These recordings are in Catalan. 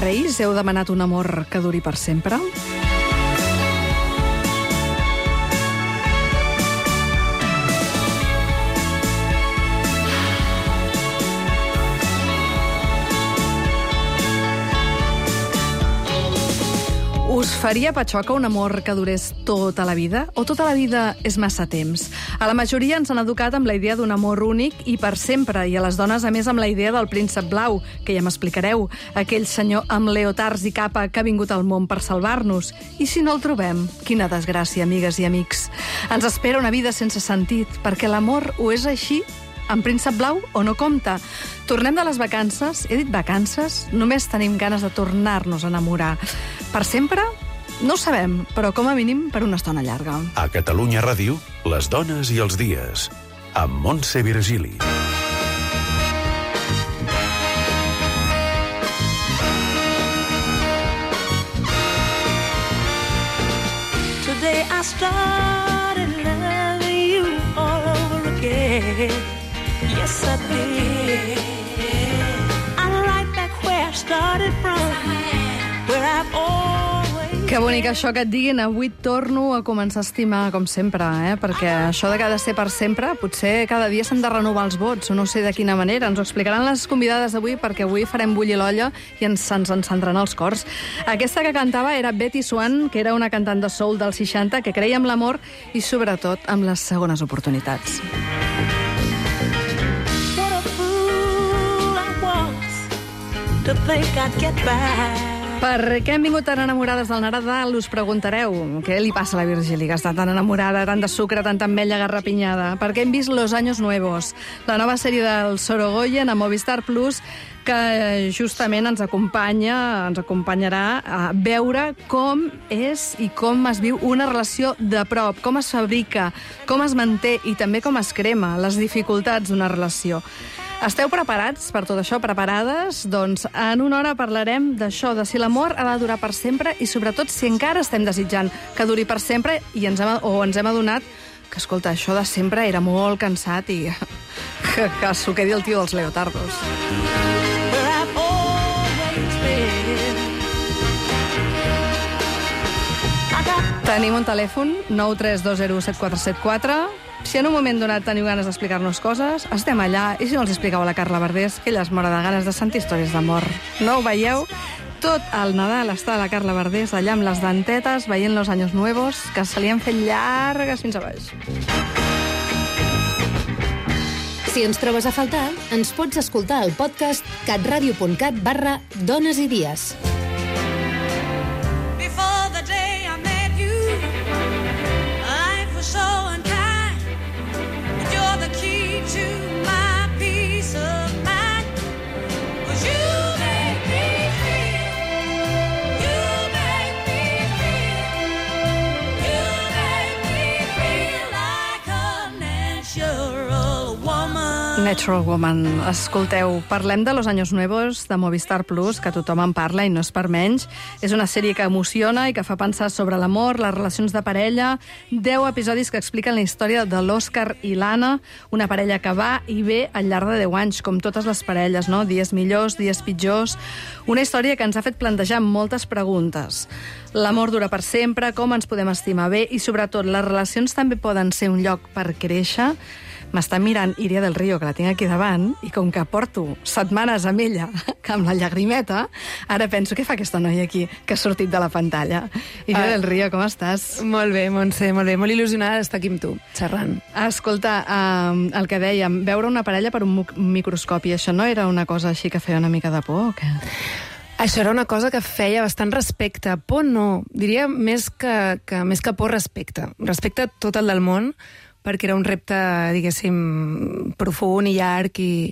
Reis, heu demanat un amor que duri per sempre? Us faria patxoca un amor que durés tota la vida? O tota la vida és massa temps? A la majoria ens han educat amb la idea d'un amor únic i per sempre, i a les dones, a més, amb la idea del príncep blau, que ja m'explicareu, aquell senyor amb leotards i capa que ha vingut al món per salvar-nos. I si no el trobem? Quina desgràcia, amigues i amics. Ens espera una vida sense sentit, perquè l'amor ho és així, amb príncep blau o no compta. Tornem de les vacances, he dit vacances, només tenim ganes de tornar-nos a enamorar. Per sempre? No ho sabem, però com a mínim per una estona llarga. A Catalunya Ràdio, les dones i els dies, amb Montse Virgili. Today I started loving you all over again. Yes, I did. I'm right back where I started from, where I've always... Que bonic això que et diguin, avui torno a començar a estimar, com sempre, perquè això de que ha de ser per sempre, potser cada dia s'han de renovar els vots, o no sé de quina manera. Ens ho explicaran les convidades d'avui, perquè avui farem bullir l'olla i se'ns encendran els cors. Aquesta que cantava era Betty Swan, que era una cantant de soul dels 60, que creia en l'amor i, sobretot, en les segones oportunitats. To think I'd get back. Per què hem vingut tan enamorades del Nadal, us preguntareu. Què li passa a la Virgili, que està tan enamorada, tant de sucre, tanta ametlla garrapinyada? Perquè hem vist Los Años Nuevos, la nova sèrie del Sorogoyen a Movistar Plus, que justament ens acompanyarà a veure com és i com es viu una relació de prop, com es fabrica, com es manté i també com es crema, les dificultats d'una relació. Esteu preparats per tot això, preparades? Doncs en una hora parlarem d'això, de si l'amor ha de durar per sempre i sobretot si encara estem desitjant que duri per sempre i ens hem adonat que, escolta, això de sempre era molt cansat i que s'ho quedi el tio dels leotardos. Tenim un telèfon, 932017474. Si en un moment donat teniu ganes d'explicar-nos coses, estem allà. I si no els expliqueu a la Carla Verdés, que ella es mora de ganes de sentir històries d'amor. No ho veieu? Tot el Nadal està la Carla Verdés allà amb les dentetes, veient Los Años Nuevos, que se li han fet llargues fins a baix. Si ens trobes a faltar, ens pots escoltar al podcast catradio.cat/dones i dies. Natural Woman. Escolteu, parlem de Los Años Nuevos, de Movistar Plus, que tothom en parla i no és per menys. És una sèrie que emociona i que fa pensar sobre l'amor, les relacions de parella. 10 episodis que expliquen la història de l'Òscar i l'Anna, una parella que va i ve al llarg de 10 anys, com totes les parelles, no? Dies millors, dies pitjors. Una història que ens ha fet plantejar moltes preguntes. L'amor dura per sempre, com ens podem estimar bé i, sobretot, les relacions també poden ser un lloc per créixer. M'està mirant Iria del Río, que la tinc aquí davant, i com que porto setmanes amb ella, que amb la llagrimeta, ara penso, què fa aquesta noia aquí, que ha sortit de la pantalla? Iria del Río, com estàs? Molt bé, Montse, molt bé. Molt il·lusionada d'estar aquí amb tu, xerrant. Escolta, el que dèiem, veure una parella per un microscopi, això no era una cosa així que feia una mica de por, o què? Això era una cosa que feia bastant respecte. Por no, diria més que por, respecte. Respecte tot el del món, perquè era un repte, diguéssim, profund i llarg i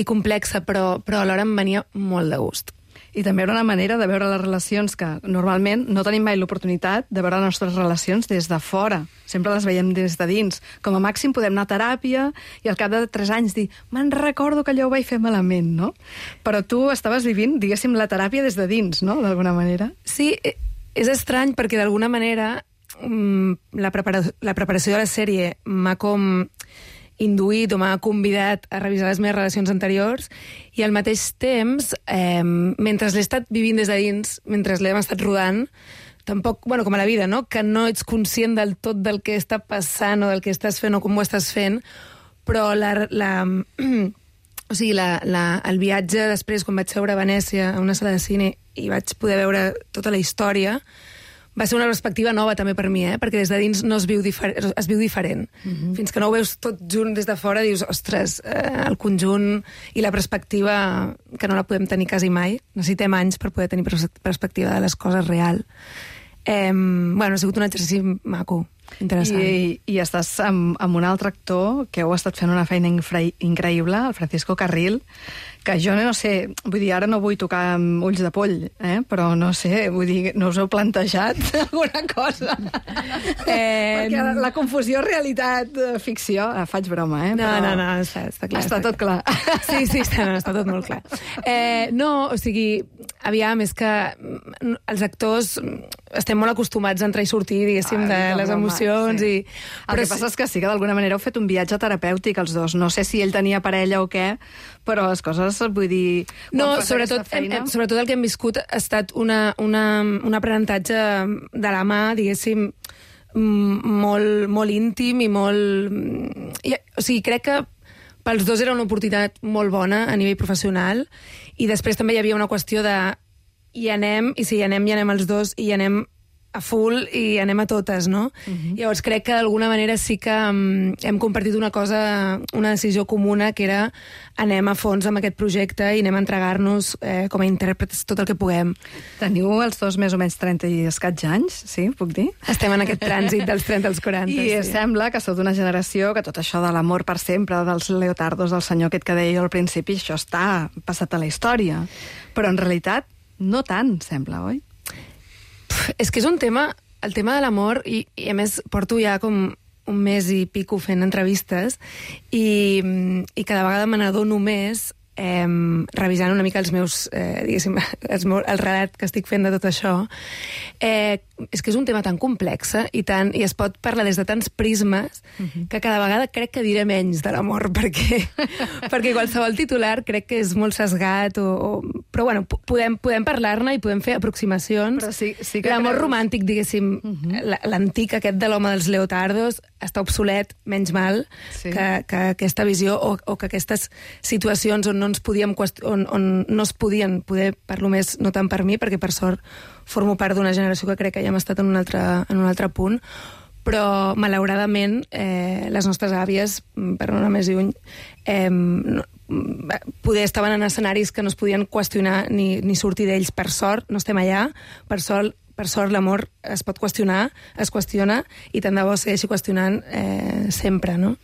complex, però alhora em venia molt de gust. I també era una manera de veure les relacions que normalment no tenim mai l'oportunitat de veure les nostres relacions des de fora. Sempre les veiem des de dins. Com a màxim podem anar a teràpia i al cap de 3 anys dir me'n recordo que allò ho vaig fer malament, no? Però tu estaves vivint, diguéssim, la teràpia des de dins, no?, d'alguna manera. Sí, és estrany perquè d'alguna manera la preparació de la sèrie m'ha com induït o m'ha convidat a revisar les meves relacions anteriors, i al mateix temps, mentre l'he estat vivint des de dins, mentre l'hem estat rodant, tampoc, bueno, com a la vida, no? Que no ets conscient del tot del que està passant o del que estàs fent o com ho estàs fent, però o sigui, el viatge després, quan vaig veure a Venècia, a una sala de cine, i vaig poder veure tota la història, va ser una perspectiva nova també per mi, perquè des de dins no es viu diferent. Fins que no ho veus tot junt des de fora, dius, ostres, el conjunt i la perspectiva, que no la podem tenir quasi mai. Necessitem anys per poder tenir perspectiva de les coses real. Bueno, ha sigut un exercici maco, interessant. I estàs amb un altre actor que heu estat fent una feina increïble, el Francisco Carril, que jo no sé, vull dir, ara no vull tocar amb ulls de poll, però no sé, vull dir, no us heu plantejat alguna cosa? Perquè la confusió realitat-ficció, faig broma, No, està clar. Està tot clar. Sí, està tot molt clar. No, o sigui, aviam, és que els actors estem molt acostumats a entrar i sortir, diguéssim, de les emocions. Sí. El que passa és que sí que d'alguna manera heu fet un viatge terapèutic els dos. No sé si ell tenia parella o què, però les coses, vull dir... No, sobretot el que hem viscut ha estat un aprenentatge de la mà, diguéssim, molt, molt íntim i molt... O sigui, crec que pels dos era una oportunitat molt bona a nivell professional, i després també hi havia una qüestió de hi anem, i si hi anem els dos, i hi anem a full i anem a totes, no? Llavors crec que d'alguna manera sí que hem compartit una decisió comuna, que era anem a fons amb aquest projecte i anem a entregar-nos com a intèrprets tot el que puguem. Teniu els dos més o menys 30 i escaig anys, sí, puc dir? Estem en aquest trànsit dels 30 als 40. I sembla que sou d'una generació que tot això de l'amor per sempre, dels leotardos, del senyor aquest que deia al principi, això està passat a la història. Però en realitat no tant, sembla, oi? És que és un tema, el tema de l'amor, i a més porto ja com un mes i pico fent entrevistes, i cada vegada me n'adono més revisant una mica els meus, diguéssim, el relat que estic fent de tot això. És que és un tema tan complex i es pot parlar des de tants prismes que cada vegada crec que diré menys de l'amor, perquè qualsevol titular crec que és molt sesgat, però bueno, podem parlar-ne i podem fer aproximacions. Però sí que l'amor romàntic, diguéssim, l'antic aquest de l'home dels leotardos està obsolet, menys mal, que aquesta visió o que aquestes situacions on no es podien poder, parlo més no tant per mi, perquè per sort formo part d'una generació que crec que ja hem estat en un altre punt, però malauradament les nostres àvies, per no anar més lluny, poder estaven en escenaris que no es podien qüestionar ni sortir d'ells. Per sort no estem allà, per sort l'amor es pot qüestionar, es qüestiona, i tant de bo segueixi qüestionant sempre, no?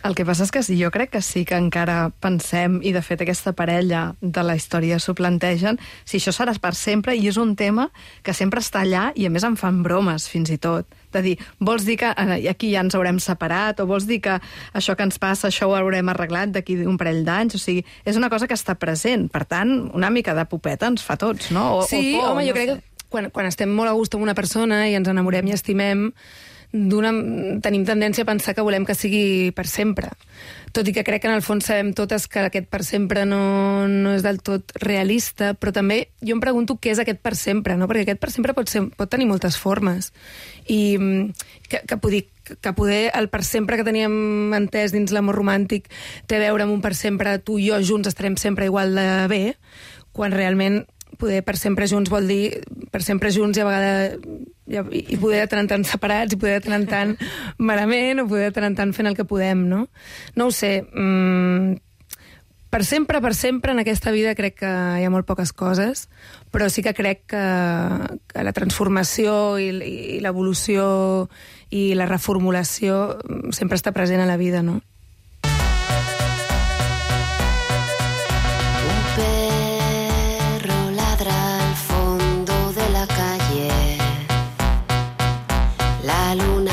El que passa és que jo crec que sí que encara pensem, i de fet aquesta parella de la història s'ho plantegen, si això serà per sempre, i és un tema que sempre està allà, i a més em fan bromes fins i tot. De dir, vols dir que aquí ja ens haurem separat, o vols dir que això que ens passa, això ho haurem arreglat d'aquí un parell d'anys? O sigui, és una cosa que està present. Per tant, una mica de popeta ens fa tots, no? Sí, home, jo crec que quan estem molt a gust amb una persona i ens enamorem i estimem, tenim tendència a pensar que volem que sigui per sempre. Tot i que crec que en el fons sabem totes que aquest per sempre no és del tot realista, però també jo em pregunto què és aquest per sempre, no? Perquè aquest per sempre pot tenir moltes formes. I que poder el per sempre que teníem entès dins l'amor romàntic té a veure amb un per sempre, tu i jo junts estarem sempre igual de bé, quan realment poder per sempre junts vol dir per sempre junts i a vegades i poder de tant en tant separats, i poder de tant en tant malament, o poder de tant en tant fent el que podem, no? No ho sé. Per sempre en aquesta vida crec que hi ha molt poques coses, però sí que crec que la transformació i l'evolució i la reformulació sempre està present a la vida, no? La luna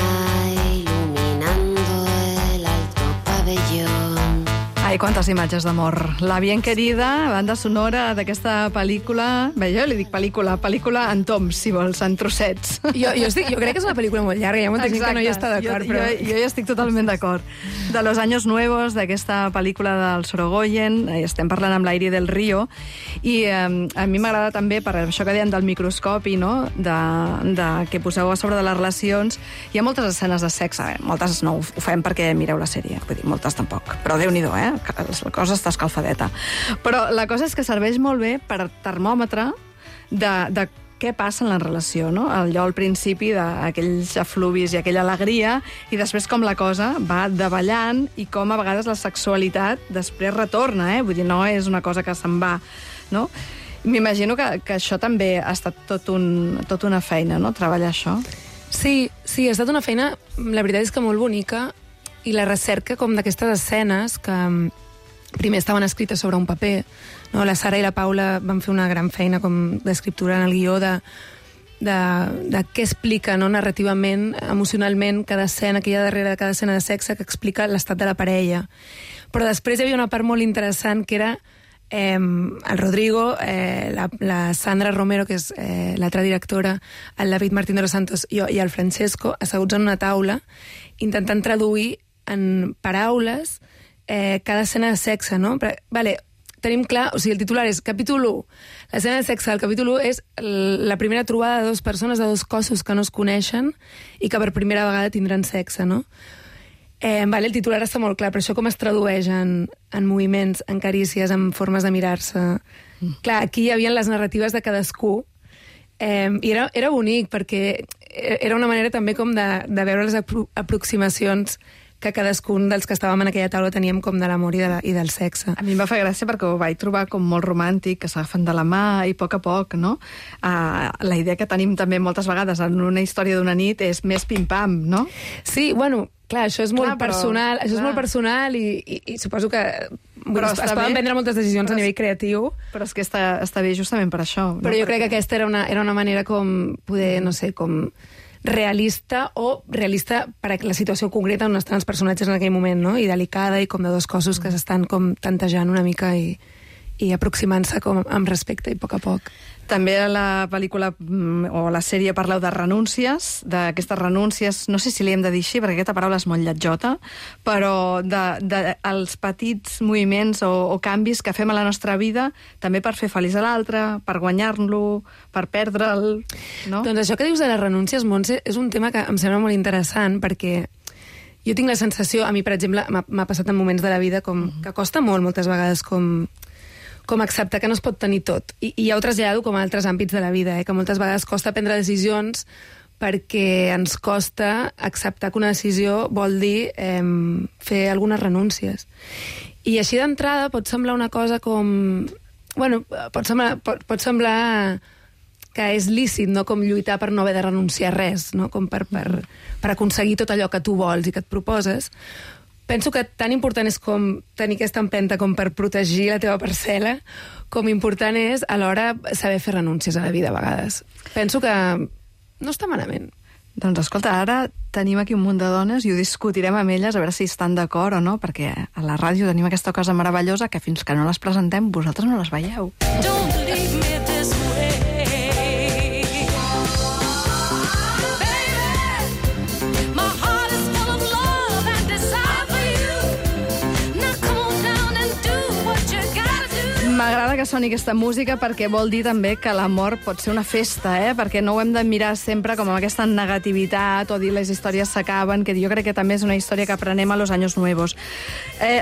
iluminando el alto pabellón. Ai, quantes imatges d'amor. La bien querida, banda sonora d'aquesta pel·lícula... Bé, jo li dic pel·lícula en toms, si vols, en trossets. Jo crec que és una pel·lícula molt llarga, hi ha molta gent que no hi està d'acord, però... Jo hi estic totalment d'acord. De Los Años Nuevos, d'aquesta pel·lícula del Sorogoyen, estem parlant amb l'Aire del Río, i a mi m'agrada també, per això que deien del microscopi, no?, de que poseu a sobre de les relacions. Hi ha moltes escenes de sexe, moltes no ho fem perquè mireu la sèrie, vull dir, moltes tampoc, però Déu-n'hi-do, la cosa està escalfadeta. Però la cosa és que serveix molt bé per termòmetre de què passa en la relació, no? Allò al principi d'aquells efluvis i aquella alegria, i després com la cosa va davallant i com a vegades la sexualitat després retorna, Vull dir, no és una cosa que se'n va, no? M'imagino que això també ha estat tot una feina, no?, treballar això. Sí, ha estat una feina, la veritat és que molt bonica, i la recerca com d'aquestes escenes que primer estaven escrites sobre un paper, no? La Sara i la Paula van fer una gran feina com d'escriptura en el guió de què explica, no?, narrativament, emocionalment, cada escena que hi ha darrere de cada escena de sexe, que explica l'estat de la parella. Però després hi havia una part molt interessant que era el Rodrigo, la Sandra Romero, que és l'altra directora, el David Martín de los Santos i el Francesco, asseguts en una taula, intentant traduir en paraules cada escena de sexe, no? Vale, tenim clar, o sigui, el titular és capítol 1. L'escena de sexe del capítol 1 és la primera trobada de dues persones, de dos cossos que no es coneixen i que per primera vegada tindran sexe, no? Vale, el titular està molt clar, però això com es tradueix en moviments, en carícies, en formes de mirar-se... Clar, aquí hi havia les narratives de cadascú, i era bonic, perquè era una manera també com de veure les aproximacions que cadascun dels que estàvem en aquella taula teníem com de l'amor i del sexe. A mi em va fer gràcia perquè ho vaig trobar com molt romàntic, que s'agafen de la mà i a poc, no? La idea que tenim també moltes vegades en una història d'una nit és més pim-pam, no? Sí, bueno, clar, això és molt personal, això és molt personal i suposo que es poden prendre moltes decisions a nivell creatiu. Però és que està bé justament per això. Però jo crec que aquesta era una manera com poder, no sé, com realista per a la situació concreta on estan els personatges en aquell moment, no? I delicada, i com de dos cossos que s'estan com tantejant una mica i aproximant-se com amb respecte i a poc. També a la pel·lícula o la sèrie parleu de renúncies, d'aquestes renúncies, no sé si li hem de dir així, perquè aquesta paraula és molt lletjota, però dels petits moviments o canvis que fem a la nostra vida, també per fer feliç a l'altre, per guanyar-lo, per perdre'l, no? Doncs això que dius de les renúncies, Montse, és un tema que em sembla molt interessant, perquè jo tinc la sensació, a mi, per exemple, m'ha passat en moments de la vida com que costa molt, moltes vegades, com acceptar que no es pot tenir tot. I ja ho trasllado com a altres àmbits de la vida, que moltes vegades costa prendre decisions perquè ens costa acceptar que una decisió vol dir fer algunes renúncies. I així d'entrada pot semblar una cosa com... Bueno, pot semblar que és lícit, no?, com lluitar per no haver de renunciar a res, no?, com per aconseguir tot allò que tu vols i que et proposes. Penso que tan important és com tenir aquesta empenta com per protegir la teva parcel·la, com important és alhora saber fer renúncies a la vida a vegades. Penso que no està malament. Doncs escolta, ara tenim aquí un munt de dones i ho discutirem amb elles a veure si estan d'acord o no, perquè a la ràdio tenim aquesta cosa meravellosa que fins que no les presentem vosaltres no les veieu. Don't leave me this way. M'agrada que soni aquesta música perquè vol dir també que l'amor pot ser una festa, perquè no ho hem de mirar sempre com amb aquesta negativitat o dir les històries s'acaben, que jo crec que també és una història que aprenem a Los Años Nuevos.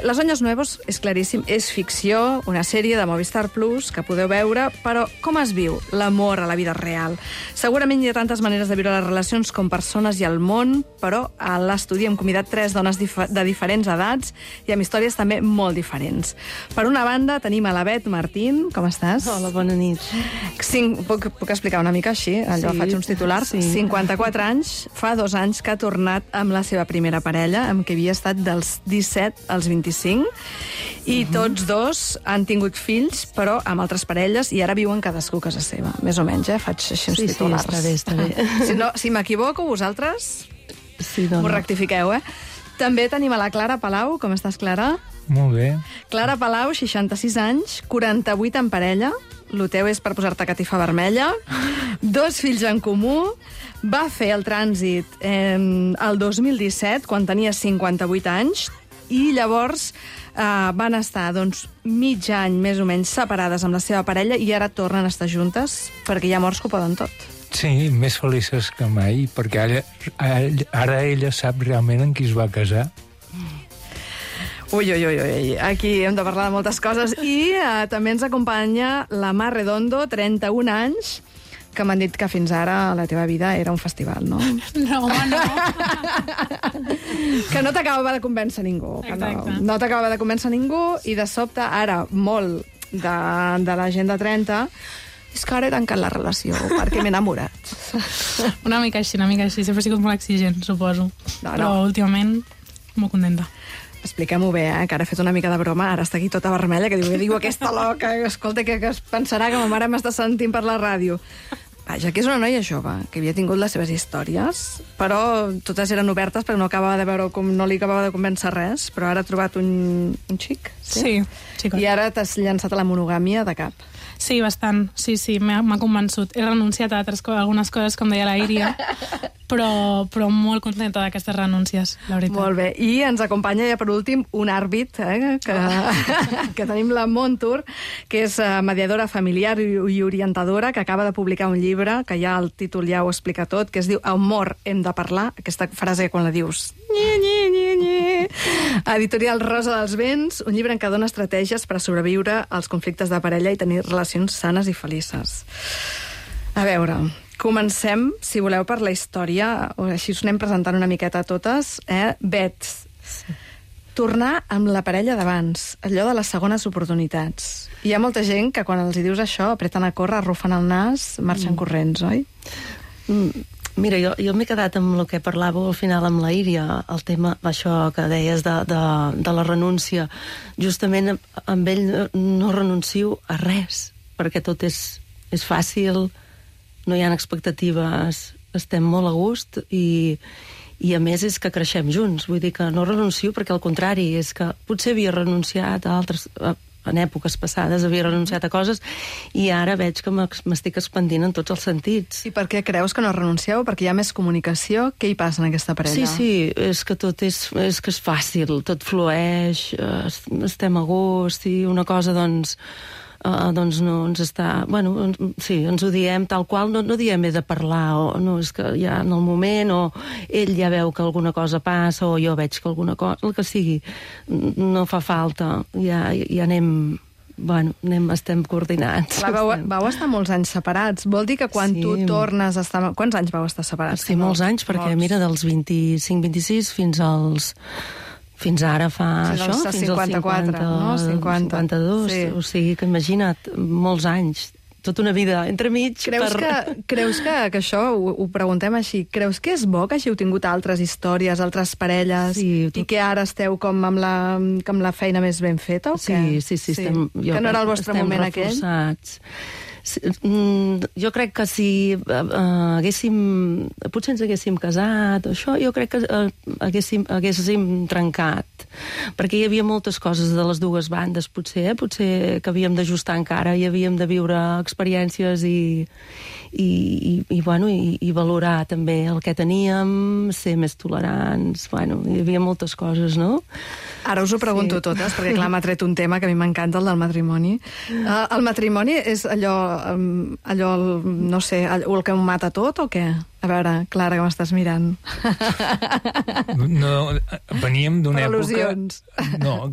Los Años Nuevos, és claríssim, és ficció, una sèrie de Movistar Plus que podeu veure, però com es viu l'amor a la vida real? Segurament hi ha tantes maneres de viure les relacions com persones i el món, però a l'estudi hem convidat 3 dones de diferents edats i amb històries també molt diferents. Per una banda, tenim a la Bet Martín, com estàs? Hola, bona nit. Puc explicar una mica així? Allò, faig uns titulars. 54 anys, fa 2 anys que ha tornat amb la seva primera parella, amb qui havia estat dels 17 als 25, i tots dos han tingut fills, però amb altres parelles, i ara viuen cadascú a casa seva. Més o menys, faig així uns titulars. Sí, està bé. Si m'equivoco, vosaltres m'ho rectifiqueu, També tenim a la Clara Palau. Com estàs, Clara? Molt bé. Clara Palau, 66 anys, 48 en parella, el teu és per posar-te catifa vermella, 2 fills en comú, va fer el trànsit el 2017, quan tenia 58 anys, i llavors van estar mig any, més o menys, separades amb la seva parella i ara tornen a estar juntes, perquè hi ha morts que ho poden tot. Sí, més felices que mai, perquè ara ella sap realment en qui es va casar. Ui, aquí hem de parlar de moltes coses. I també ens acompanya la Mar Redondo, 31 anys, que m'han dit que fins ara la teva vida era un festival, no? No, home, no. Que no t'acabava de convèncer ningú. No t'acabava de convèncer ningú i de sobte, ara, molt de la gent de 30... És que ara he tancat la relació perquè m'he enamorat. Una mica així. Sempre he sigut molt exigent, suposo. Però últimament, molt contenta. Expliquem-ho bé, que ara he fet una mica de broma, ara està aquí tota vermella, que diu aquesta loca, escolta, que es pensarà que ma mare m'està sentint per la ràdio. Vaja, que és una noia jove, que havia tingut les seves històries, però totes eren obertes perquè no acabava de veure com no li acabava de convèncer res, però ara ha trobat un xic. Sí, xicot. I ara t'has llançat a la monogàmia de cap. Sí, bastant. Sí, m'ha convençut. He renunciat a algunes coses, com deia la Iria, però molt contenta d'aquestes renúncies, la veritat. Molt bé. I ens acompanya ja per últim un àrbit, que tenim la Montour, que és mediadora familiar i orientadora, que acaba de publicar un llibre, que ja el títol ja ho explica tot, que es diu Amor, hem de parlar, aquesta frase quan la dius... Editorial Rosa dels Vents, un llibre en què dona estratègies per a sobreviure als conflictes de parella i tenir relacions sanes i felices. A veure, comencem, si voleu, per la història, o així us anem presentant una miqueta a totes. Bet, tornar amb la parella d'abans, allò de les segones oportunitats. Hi ha molta gent que quan els hi dius això apreten a córrer, arrufen el nas, marxen corrents, oi? Mira, jo m'he quedat amb el que parlàveu al final amb la Iria, el tema, això que deies de la renúncia. Justament amb ell no renuncio a res, perquè tot és fàcil, no hi ha expectatives, estem molt a gust i a més és que creixem junts. Vull dir que no renuncio perquè al contrari, és que potser havia renunciat a altres... en èpoques passades havia renunciat a coses i ara veig que m'estic expandint en tots els sentits. I per què creus que no renuncieu? Perquè hi ha més comunicació? Què hi passa en aquesta parella? Sí, és que tot és fàcil, tot flueix, estem a gust i una cosa, doncs no ens està... Bueno, sí, ens ho diem tal qual, no diem he de parlar, o no, és que ja en el moment, o ell ja veu que alguna cosa passa, o jo veig que alguna cosa... El que sigui, no fa falta, ja anem... Bueno, estem coordinats. Clar, vau estar molts anys separats. Vol dir que quan tu tornes a estar... Quants anys vau estar separats? Sí, molts anys, perquè mira, dels 25-26 fins ara fa això, fins als 54, no? 52, sí. O sigui que imagina't, molts anys, tota una vida entremig. Creus que això, ho preguntem així, creus que és bo que hàgiu tingut altres històries, altres parelles, i que ara esteu com amb la feina més ben feta, o què? Sí. Que no era el vostre moment aquell? Jo crec que si potser ens haguéssim casat o això, jo crec que haguéssim trencat, perquè hi havia moltes coses de les dues bandes, potser que havíem d'ajustar encara, i havíem de viure experiències i valorar també el que teníem, ser més tolerants, hi havia moltes coses, no? Ara us ho pregunto totes, perquè clar, m'ha tret un tema que a mi m'encanta, el del matrimoni. El matrimoni és allò, no sé, el que ho mata tot o què? A veure, Clara, que m'estàs mirant. No, veníem d'una època... Al·lusions. No,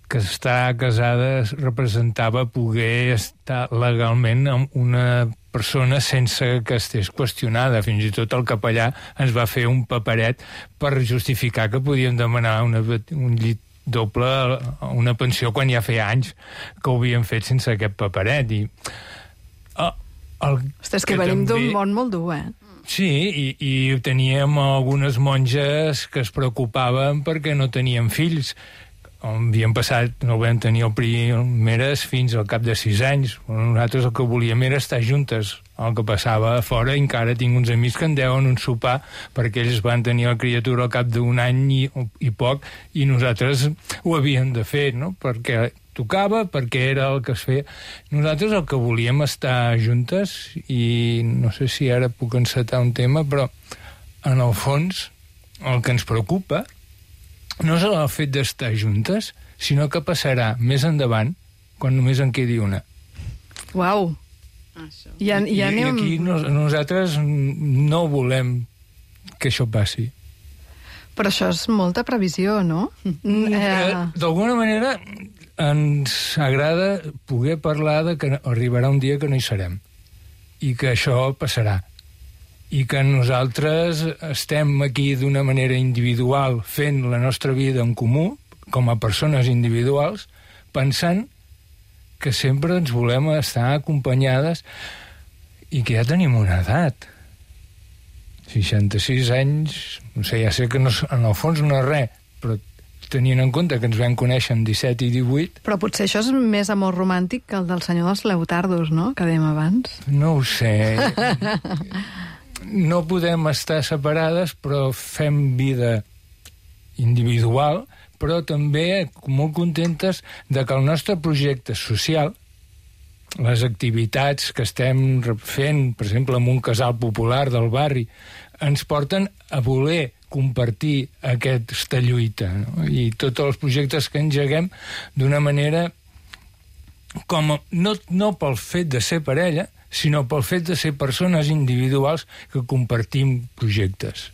que estar casada representava poder estar legalment amb una persona sense que estés qüestionada. Fins i tot el capellà ens va fer un paperet per justificar que podíem demanar un llit doble, una pensió, quan ja feia anys que ho havíem fet sense aquest paperet. Ostres, que venim d'un món molt dur, Sí, i teníem algunes monges que es preocupaven perquè no tenien fills. havíem passat, no vam tenir el primeres fins al cap de 6 anys. Nosaltres el que volíem era estar juntes. El que passava a fora, encara tinc uns amics que en deuen un sopar perquè ells van tenir la criatura al cap d'un any i poc, i nosaltres ho havíem de fer, no? Perquè tocava, perquè era el que es feia. Nosaltres el que volíem estar juntes, i no sé si ara puc encetar un tema, però en el fons el que ens preocupa no és el fet d'estar juntes, sinó que passarà més endavant quan només en quedi una. Uau! I aquí nosaltres no volem que això passi. Però això és molta previsió, no? D'alguna manera ens agrada poder parlar de que arribarà un dia que no hi serem i que això passarà. I que nosaltres estem aquí d'una manera individual fent la nostra vida en comú, com a persones individuals, pensant que sempre ens volem estar acompanyades i que ja tenim una edat. 66 anys, no sé, ja sé que no, en el fons no és res, però tenint en compte que ens vam conèixer amb 17 i 18... Però potser això és més amor romàntic que el del senyor dels Leotardos, no?, que dèiem abans. No ho sé... No podem estar separades, però fem vida individual, però també molt contentes de que el nostre projecte social, les activitats que estem fent, per exemple, en un casal popular del barri, ens porten a voler compartir aquesta lluita, no? I tots els projectes que engeguem d'una manera com no pel fet de ser parella, sinó pel fet de ser persones individuals que compartim projectes.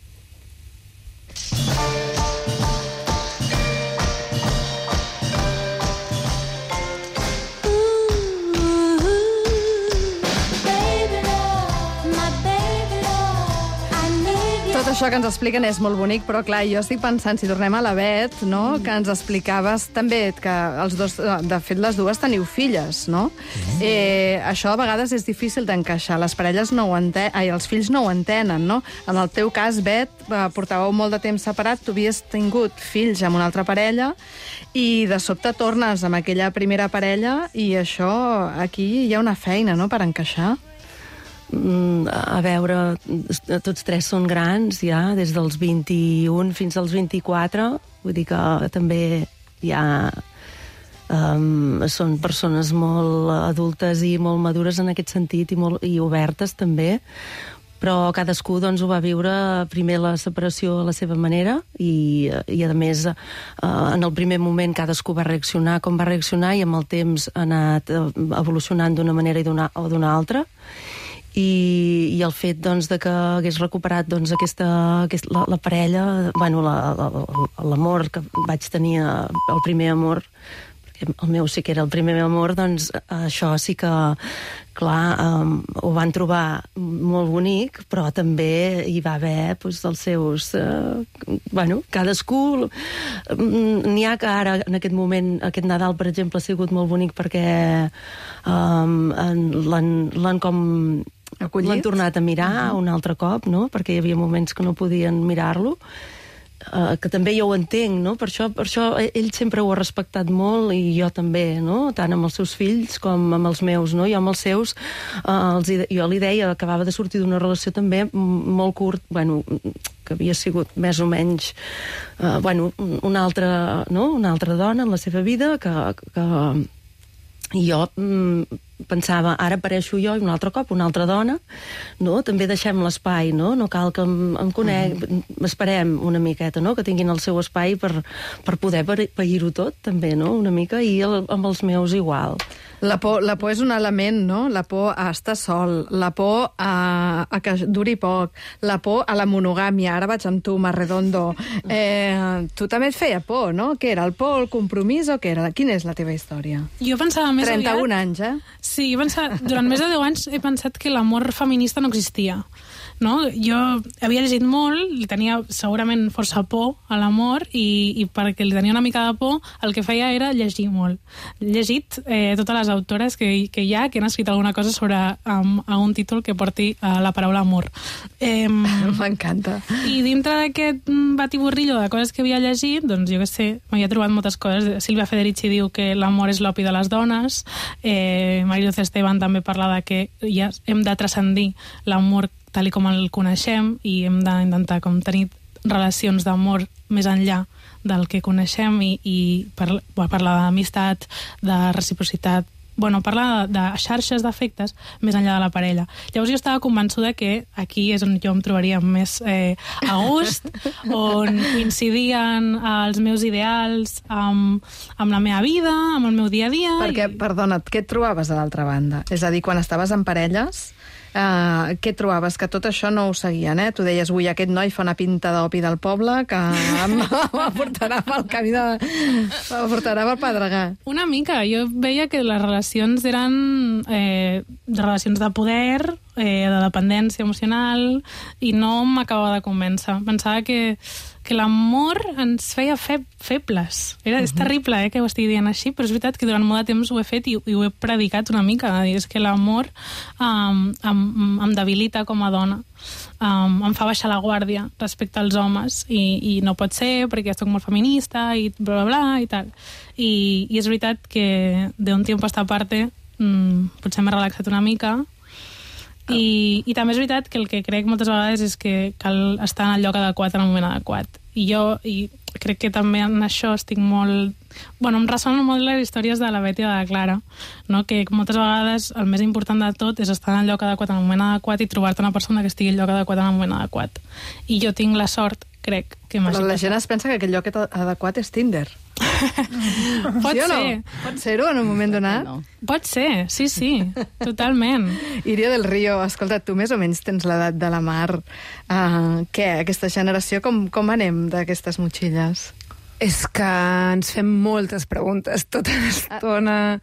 Tot això que ens expliquen és molt bonic, però clar, jo estic pensant, si tornem a la Bet, no?, que ens explicaves també que els dos, de fet les dues teniu filles, no? Això a vegades és difícil d'encaixar, les parelles no ho els fills no ho entenen, no? En el teu cas, Bet, portàveu molt de temps separat, tu havies tingut fills amb una altra parella i de sobte tornes amb aquella primera parella i això, aquí hi ha una feina, no?, per encaixar. A veure, tots tres són grans ja, des dels 21 fins als 24, vull dir que també ja són persones molt adultes i molt madures en aquest sentit i obertes també, però cadascú doncs, ho va viure primer la separació a la seva manera i a més en el primer moment cadascú va reaccionar com va reaccionar i amb el temps ha anat evolucionant d'una manera o d'una altra. I el fet doncs, de que hagués recuperat doncs, la parella, bueno, l'amor que vaig tenir, el primer amor, perquè el meu sí que era el primer amor, doncs això sí que, clar, ho van trobar molt bonic, però també hi va haver doncs, els seus... bueno, cadascú... N'hi ha que ara, en aquest moment, aquest Nadal, per exemple, ha sigut molt bonic perquè l'han com... L'han tornat a mirar un altre cop, no?, perquè hi havia moments que no podien mirar-lo, que també jo ho entenc, no?, per això ell sempre ho ha respectat molt i jo també, no?, tant amb els seus fills com amb els meus, no?, jo amb els seus jo li deia, acabava de sortir d'una relació també molt curt, bueno, que havia sigut més o menys una altra dona en la seva vida i jo pensava, ara apareixo jo i un altre cop, una altra dona, no? També deixem l'espai, no? No cal que em conec, esperem una miqueta, no? Que tinguin el seu espai per poder pair-ho tot, també, no? Una mica, i amb els meus igual. La por és un element, no? La por a estar sol, la por a que duri poc, la por a la monogàmia. Ara vaig amb tu, Marredondo. Tu també et feia por, no? Què era, el por, el compromís o què era? Quina és la teva història? Jo pensava més 31 anys, eh? Sí, durant més de 10 anys he pensat que l'amor feminista no existia. no? Jo havia llegit molt, li tenia segurament força por a l'amor i perquè li tenia una mica de por el que feia era llegir molt. He llegit totes les autores que hi ha que han escrit alguna cosa sobre un títol que porti la paraula amor. M'encanta. I dintre d'aquest batiburrillo de coses que havia llegit, doncs jo què sé, m'havia trobat moltes coses. Silvia Federici diu que l'amor és l'opi de les dones, Mariluz Esteban també parla de que ja hem de transcendir l'amor tal com el coneixem i hem d'intentar com tenir relacions d'amor més enllà del que coneixem i parlar d'amistat, de reciprocitat, parla de xarxes d'afectes més enllà de la parella. Llavors jo estava convençuda que aquí és on jo em trobaria més a gust, on coincidien els meus ideals amb la meva vida, amb el meu dia a dia. Perquè, perdona, què et trobaves a l'altra banda? És a dir, quan estaves en parelles, què trobaves? Que tot això no ho seguien, eh? Tu deies, ui, aquest noi fa una pinta d'opi del poble que em portarà pel camí em portarà pel pedregar. Una mica. Jo veia que les relacions eren relacions de poder, de dependència emocional, i no m'acabava de convèncer. Pensava que l'amor ens feia febles. És terrible que ho estigui dient així, però és veritat que durant molt de temps ho he fet i ho he predicat una mica. És que l'amor em debilita com a dona. Em fa baixar la guàrdia respecte als homes i no pot ser perquè jo soc molt feminista i bla, bla, bla, i tal. I és veritat que d'un temps a esta parte potser m'he relaxat una mica. I també és veritat que el que crec moltes vegades és que cal estar en el lloc adequat en el moment adequat. I crec que també en això estic molt... em ressonen molt les històries de la Betty i de la Clara, no? Que moltes vegades el més important de tot és estar en el lloc adequat en el moment adequat i trobar-te una persona que estigui al lloc adequat en el moment adequat. I jo tinc la sort, crec, que m'hagi Però la gent es pensa que aquest lloc adequat és Tinder. Pot sí o no? ser. Pot ser-ho en un moment donat? No. Pot ser, sí, totalment. Iria del Río, escolta, tu més o menys tens l'edat de la Mar. Què, aquesta generació, com anem d'aquestes motxilles? És que ens fem moltes preguntes tota l'estona.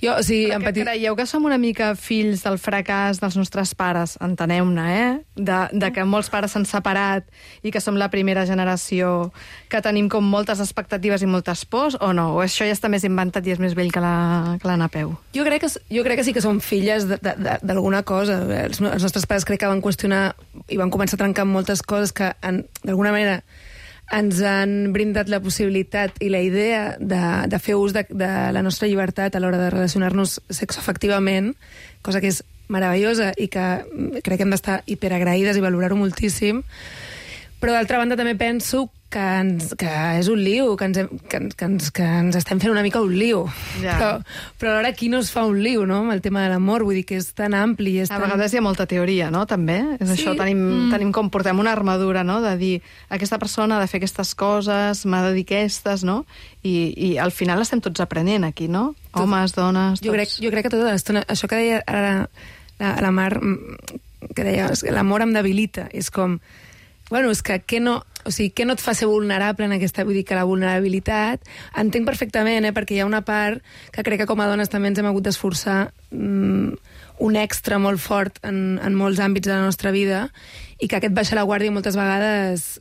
Jo, o sigui, Creieu que som una mica fills del fracàs dels nostres pares? Enteneu-ne, de que molts pares s'han separat i que som la primera generació que tenim com moltes expectatives i moltes pors, o no? O això ja està més inventat i és més vell que la Napeu? Jo crec que sí que som filles d'alguna cosa. Els nostres pares crec que van qüestionar i van començar a trencar moltes coses que, d'alguna manera, ens han brindat la possibilitat i la idea de fer ús de la nostra llibertat a l'hora de relacionar-nos sexoafectivament, cosa que és meravellosa i que crec que hem d'estar hiperagraïdes i valorar-ho moltíssim. Però d'altra banda també penso que és un lío, que ens estem fent una mica un lío. Ja. Però alhora qui no es fa un lío, no?, amb el tema de l'amor, vull dir que és tan ampli. A vegades hi ha molta teoria, no?, també. És sí? Això, tenim com portem una armadura, no?, de dir, aquesta persona ha de fer aquestes coses, m'ha de dir aquestes, no?, i al final estem tots aprenent aquí, no? Homes, dones, tots. Jo crec que tota l'estona, això que deia ara la Mar, que deia, l'amor em debilita, és com... Bueno, és que què no et fa ser vulnerable en aquesta... Vull dir que la vulnerabilitat... Entenc perfectament, perquè hi ha una part que crec que com a dones també ens hem hagut d'esforçar un extra molt fort en molts àmbits de la nostra vida i que aquest baixar la guàrdia moltes vegades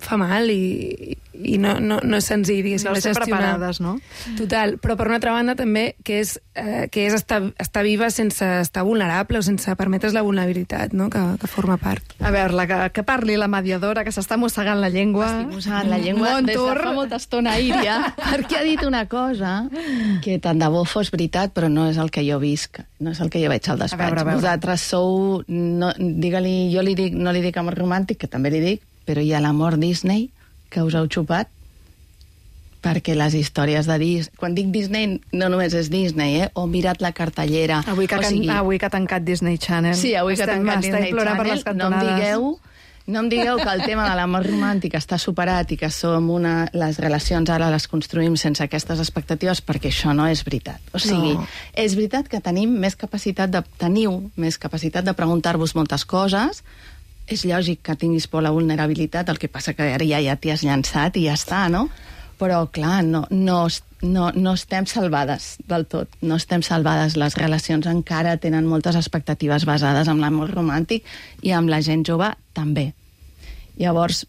fa mal i no és senzill, diguéssim, de gestionar. Preparades, no? Total, però per una altra banda també que és estar viva sense estar vulnerable o sense permetre's la vulnerabilitat, no?, que forma part. A veure, que parli la mediadora, que s'està mossegant la llengua. Estic mossegant la llengua des de fa molta estona, Iria, perquè ha dit una cosa que tant de bo fos veritat, però no és el que jo visc, no és el que jo veig al despatx. A veure. Vosaltres sou, digue-li, jo li dic, no li dic amor romàntic, que també li dic, però hi ha l'amor Disney que us heu xupat, perquè les històries de Disney... Quan dic Disney, no només és Disney, o mira't la cartellera... Avui que ha tancat Disney Channel. Sí, avui que ha tancat Disney Channel. No em digueu que el tema de l'amor romàntic està superat i que les relacions ara les construïm sense aquestes expectatives, perquè això no és veritat. O sigui, és veritat que teniu més capacitat de preguntar-vos moltes coses. És lògic que tinguis por a la vulnerabilitat, el que passa que ara ja t'hi has llançat i ja està, no? Però, clar, no estem salvades del tot. No estem salvades. Les relacions encara tenen moltes expectatives basades en l'amor romàntic i amb la gent jove també. Llavors,